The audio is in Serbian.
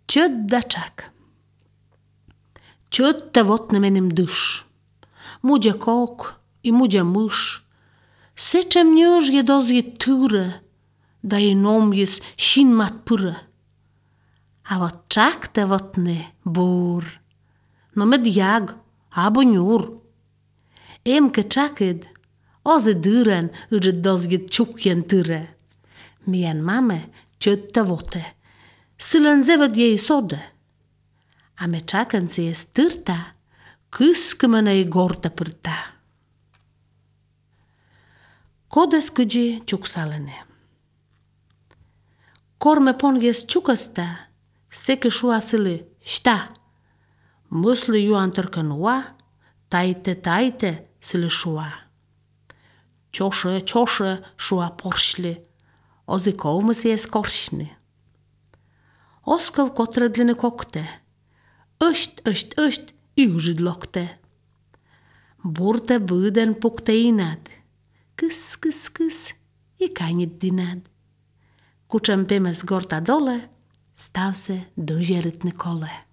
Ciot da czak. Ciot te wotne menem dysz. Mudzia kok i mudzia mysz. Seczem nioż je dozje tyre. Da je nom jest sin mat pyre. A wot czak te wotne bur. No med jag, abo njur. Emke czaked, oze dyren uże dozje czukjen tyre. Mian mame ciot te wote. Sylen zewet jej sode. A me czakens jest tyrta, kyskymene gorta pyrta. Kodes kydzi czuksalene. Korme pon jest czukasta, seke szua syly szta. Mysli ju antyrkanua, tajte syly szua. Ciosze szua porśli, ozy kołmys jest korśny. Oskav kotredline kokte. Öst i użydlokte. Burte byden pukte inad. Kys i kanit dinad. Kuczem pymes gorta dole, staw se dozie rytny kole.